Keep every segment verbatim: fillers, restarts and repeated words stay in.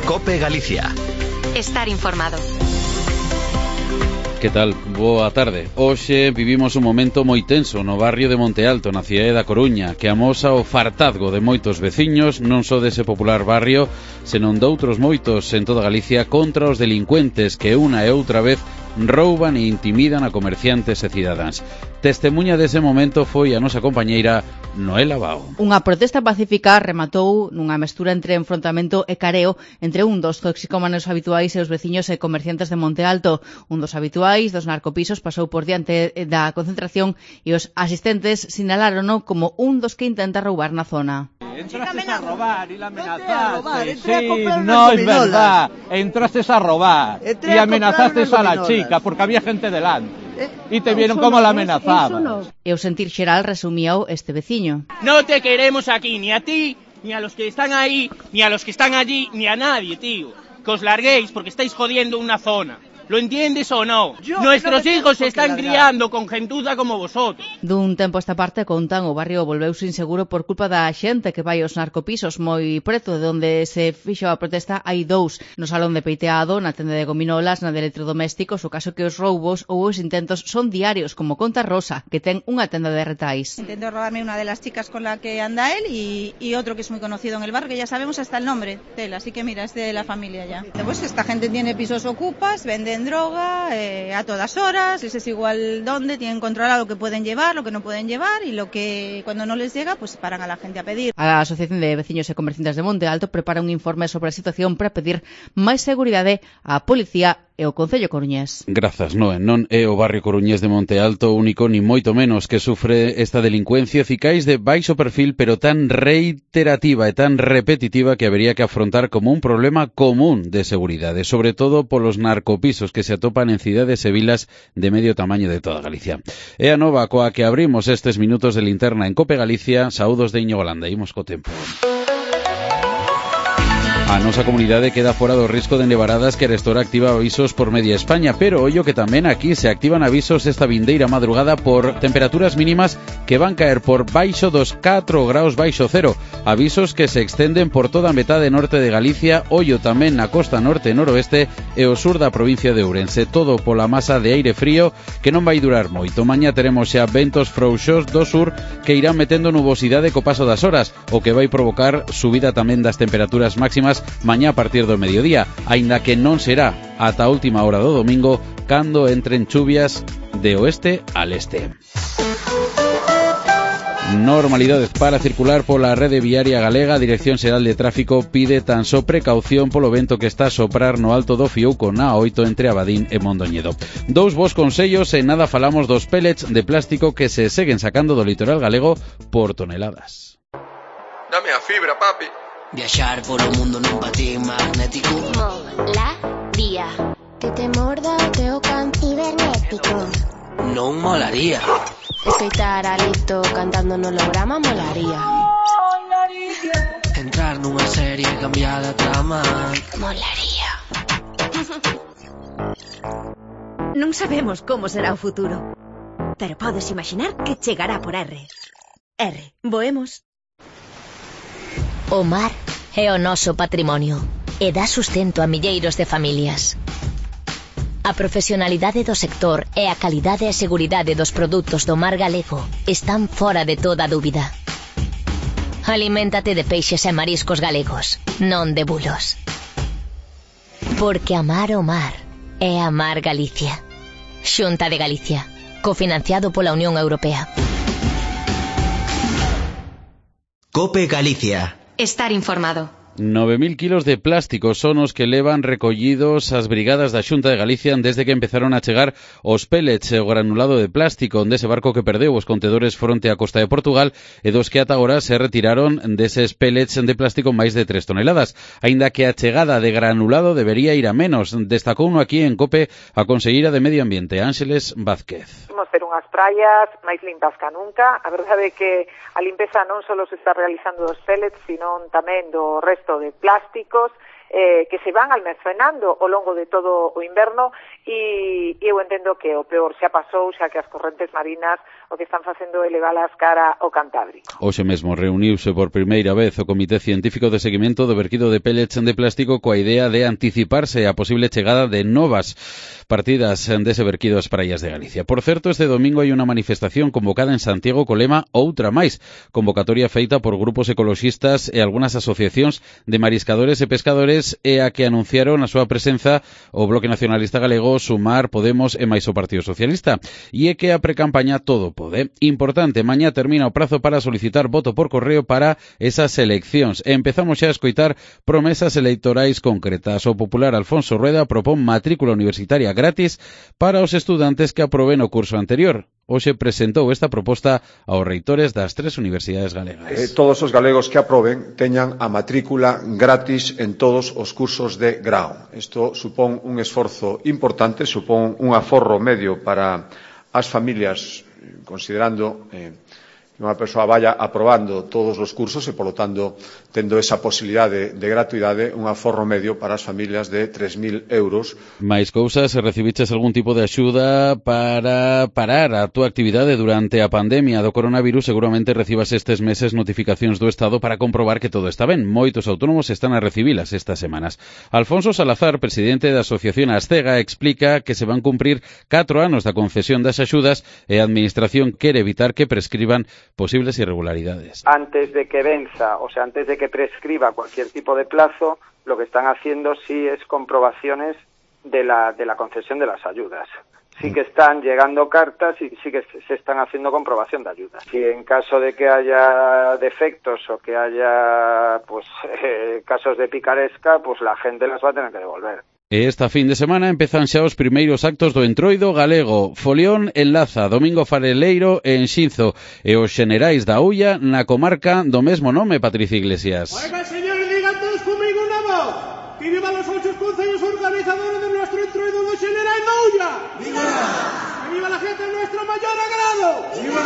COPE Galicia. Estar informado. Que tal? Boa tarde. Hoxe vivimos un momento moi tenso no barrio de Monte Alto, na cidade da Coruña, que amosa o fartazgo de moitos veciños, non só dese popular barrio, senón doutros moitos en toda Galicia contra os delincuentes que unha e outra vez rouban e intimidan a comerciantes e cidadáns. Testemuña dese momento foi a nosa compañeira Noela Bao. Unha protesta pacífica rematou nunha mestura entre enfrontamento e careo entre un dos toxicómanos habituais e os veciños e comerciantes de Monte Alto. Un dos habituais dos narcopisos pasou por diante da concentración e os asistentes sinalárono como un dos que intenta roubar na zona. Entraste a robar y la amenazaste. Sí, no es verdad. Entraste a robar y amenazaste a la chica porque había gente delante. Y te vieron como la amenazaban. E o sentir xeral resumíao este veciño. No te queremos aquí, ni a ti, ni a los que están ahí, ni a los que están allí, ni a nadie, tío. Que os larguéis porque estáis jodiendo una zona. ¿Lo entiendes o no? Yo Nuestros no hijos se están criando con gentuza como vosotros. Dun tempo esta parte contan o barrio volveuse inseguro por culpa da xente que vai aos narcopisos moi preto de onde se fixo a protesta. Hai dous no salón de peiteado, na tenda de gominolas, na de electrodomésticos. O caso que os roubos ou os intentos son diarios, como conta Rosa, que ten unha tenda de retais. Intentó robarme una de las chicas con la que anda él y, y otro que es muy conocido en el barrio, que ya sabemos hasta el nombre de él, así que mira, es de la familia ya. Pues esta gente tiene pisos ocupas, venden droga eh, a todas horas, les es igual dónde, tienen controlado lo que pueden llevar, lo que no pueden llevar y lo que cuando no les llega pues paran a la gente a pedir. A Asociación de Veciños e Comerciantes de Monte Alto prepara un informe sobre a situación para pedir máis seguridade á policía e o Concello coruñés. Grazas, Noé. Non é o barrio coruñés de Monte Alto único, ni moito menos, que sufre esta delincuencia eficaz de baixo perfil, pero tan reiterativa e tan repetitiva que habería que afrontar como un problema común de seguridade, sobre todo polos narcopisos que se atopan en cidades e vilas de medio tamaño de toda Galicia. É a nova coa que abrimos estes minutos de linterna en COPE Galicia. Saúdos de Íñigo Landa. Imos co tempo. A nosa comunidade queda fora do risco de nevaradas que Arestora activa avisos por media España, pero ollo que tamén aquí se activan avisos esta vindeira madrugada por temperaturas mínimas que van caer por baixo dos catro graus baixo cero. Avisos que se extenden por toda a metade norte de Galicia, ollo tamén na costa norte e noroeste e o sur da provincia de Ourense. Todo pola masa de aire frío que non vai durar moito. Mañá teremos xa ventos frouxos do sur que irán metendo nubosidade co paso das horas, o que vai provocar subida tamén das temperaturas máximas mañá a partir do mediodía, aínda que non será ata a última hora do domingo cando entren chuvias de oeste al este. Normalidades para circular pola rede viaria galega. A Dirección Xeral de Tráfico pide tan só precaución polo vento que está a soprar no alto do Fiouco na A oito entre Abadín e Mondoñedo. Dous bos consellos e nada falamos dos pellets de plástico que se seguen sacando do litoral galego por toneladas. Dame a fibra, papi. Viaxar polo mundo nun patín magnético. Molaría. Que te morda o teu can cibernético. Non molaría. Escoitar a Lito cantando no holograma molaría. Entrar nunha serie cambiada a trama molaría. Non sabemos como será o futuro, pero podes imaginar que chegará por R. R, voemos. O mar é o noso patrimonio e dá sustento a milleiros de familias. A profesionalidade do sector e a calidade e seguridade dos produtos do mar galego están fora de toda dúbida. Aliméntate de peixes e mariscos galegos, non de bulos. Porque amar o mar é amar Galicia. Xunta de Galicia, cofinanciado pola Unión Europea. COPE Galicia. Estar informado. nove mil kilos de plástico son os que levan recollidos as brigadas da Xunta de Galicia desde que empezaron a chegar os pellets e o granulado de plástico dese barco que perdeu os contedores fronte á costa de Portugal e dos que ata agora se retiraron deses pellets de plástico máis de tres toneladas. Aínda que a chegada de granulado debería ir a menos, destacou uno aquí en COPE a conselleira de Medio Ambiente, Ángeles Vázquez. Imos ter unhas praias máis limpas que nunca. A verdade é que a limpeza non só se está realizando dos pellets, sino tamén do resto de plásticos eh, que se van almacenando ao longo de todo o inverno e, e eu entendo que o peor xa pasou, xa que as correntes marinas o que están facendo é elevalas cara ao Cantábrico. Hoxe mesmo reuniuse por primeira vez o Comité Científico de Seguimento do verquido de pellets de plástico coa idea de anticiparse a posible chegada de novas partidas dese verquido ás praias de Galicia. Por certo, este domingo hai unha manifestación convocada en Santiago co lema Outra máis, convocatoria feita por grupos ecoloxistas e algunhas asociacións de mariscadores e pescadores e a que anunciaron a súa presenza o Bloque Nacionalista Galego, Sumar, Podemos e máis o Partido Socialista. E é que a precampaña todo pode. Importante, mañá termina o prazo para solicitar voto por correo para esas eleccións. E empezamos xa a escoitar promesas electorais concretas. O popular Alfonso Rueda propón matrícula universitaria gratis para os estudantes que aproben o curso anterior. Hoxe presentou esta proposta aos reitores das tres universidades galegas. Eh, todos os galegos que aproben teñan a matrícula gratis en todos os cursos de grao. Isto supón un esforzo importante, supón un aforro medio para as familias, considerando eh, que unha persoa vaya aprobando todos os cursos e, polo tanto, tendo esa posibilidade de gratuidade, un aforro medio para as familias de tres mil euros. Mais cousas, recibiches algún tipo de axuda para parar a túa actividade durante a pandemia do coronavirus, seguramente recibas estes meses notificacións do Estado para comprobar que todo está ben. Moitos autónomos están a recibilas estas semanas. Alfonso Salazar, presidente da Asociación Astega, explica que se van cumprir catro anos da concesión das axudas e a Administración quere evitar que prescriban posibles irregularidades. Antes de que venza, o sea, antes de que prescriba cualquier tipo de plazo, lo que están haciendo sí es comprobaciones de la, de la concesión de las ayudas. Sí que están llegando cartas y sí que se están haciendo comprobación de ayudas. Si en caso de que haya defectos o que haya pues eh, casos de picaresca, pues la gente las va a tener que devolver. E esta fin de semana empezan xa os primeiros actos do Entroido galego. Folión en Laza, Domingo Fareleiro en Xinzo e os xenerais da Ulla na comarca do mesmo nome, Patricia Iglesias. Oiga, señores, digan todos conmigo unha voz. Que viva los ocho concellos organizadores de nuestro Entroido do Xenerais da Ulla. ¡Viva! Que viva la gente de nuestro mayor agrado. ¡Viva!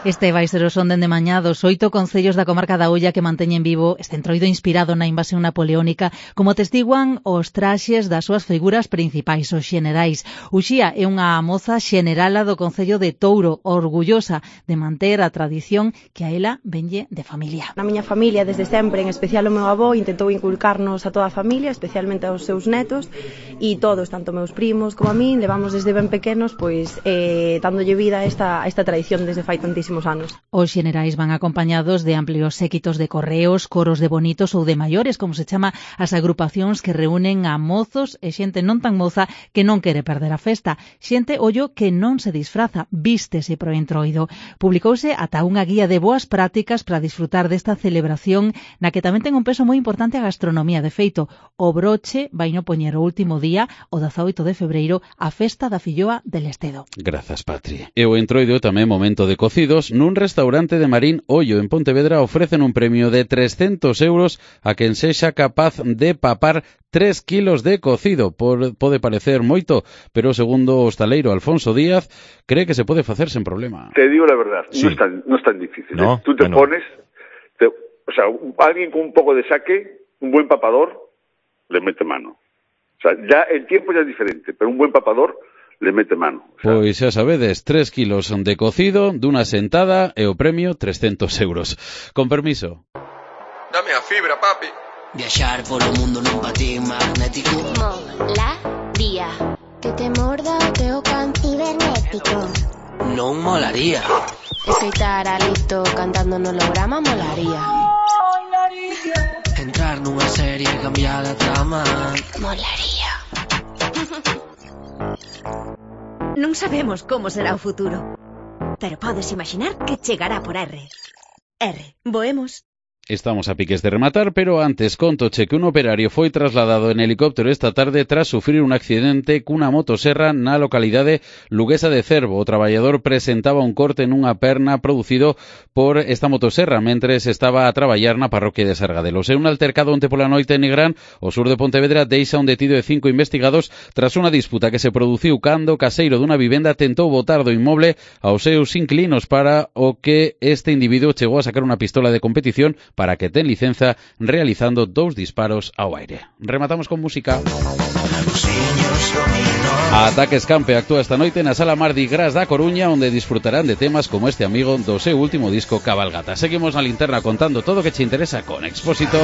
Este vai ser o son dende mañá dos oito concellos da comarca da Ulla que manteñen vivo este entroido inspirado na invasión napoleónica, como testiguan os traxes das súas figuras principais, os xenerais. Uxía é unha moza xenerala do concello de Touro, orgullosa de manter a tradición que a ela venlle de familia. Na miña familia, desde sempre, en especial o meu avó, intentou inculcarnos a toda a familia, especialmente aos seus netos, e todos, tanto meus primos como a min, levamos desde ben pequenos, pois, eh, dándolle vida a esta, a esta tradición desde fai tantísimo anos. Os xenerais van acompañados de amplios séquitos de correos, coros de bonitos ou de maiores, como se chama as agrupacións que reúnen a mozos e xente non tan moza que non quere perder a festa. Xente, ollo, que non se disfraza, vístese pro entroido. Publicouse ata unha guía de boas prácticas para disfrutar desta celebración na que tamén ten un peso moi importante a gastronomía. De feito, o broche vai no poñer o último día, o dezaoito de febreiro, a festa da filloa del Estedo. Grazas, Patri. E o entroido tamén momento de cocidos. Nun restaurante de Marín Ollo en Pontevedra ofrecen un premio de trescentos euros a quen sexa capaz de papar tres kilos de cocido. Por, pode parecer moito, pero segundo o hostaleiro Alfonso Díaz, cree que se pode facer sen problema. Te digo la verdad, sí. no, es tan, no es tan difícil. ¿No? ¿eh? Tú te bueno. pones, te, o sea, alguien con un poco de saque, un buen papador, le mete mano. O sea, ya el tiempo ya es diferente, pero un buen papador le mete mano. O sea, pois xa sabedes, tres kilos de cocido dunha sentada e o premio trescentos euros. Con permiso. Dame a fibra, papi. Viaxar polo mundo nun patín magnético. Molaría. Que te morda o teu can cibernético. Non molaría. Escoitar a Lito cantando no holograma molaría. Entrar nunha serie e cambiar a trama molaría. Non sabemos como será o futuro, pero podes imaginar que chegará por R. R, voemos. Estamos a piques de rematar, pero antes contoche que un operario foi trasladado en helicóptero esta tarde tras sufrir un accidente cunha motoserra na localidade luguesa de Cervo. O traballador presentaba un corte nunha perna producido por esta motoserra mentres estaba a traballar na parroquia de Sargadelos. En un altercado onte pola noite en Nigrán, o sur de Pontevedra, deixa un detido de cinco investigados tras unha disputa que se produciu cando o caseiro dunha vivenda tentou botar do inmoble aos seus inquilinos, para o que este individuo chegou a sacar unha pistola de competición para que ten licenza realizando dous disparos ao aire. Rematamos con música. Ataques Campe actúa esta noite na Sala Mardi Gras da Coruña, onde disfrutarán de temas como este amigo do seu último disco Cabalgata. Seguimos na linterna contando todo o que che interesa con Expósito.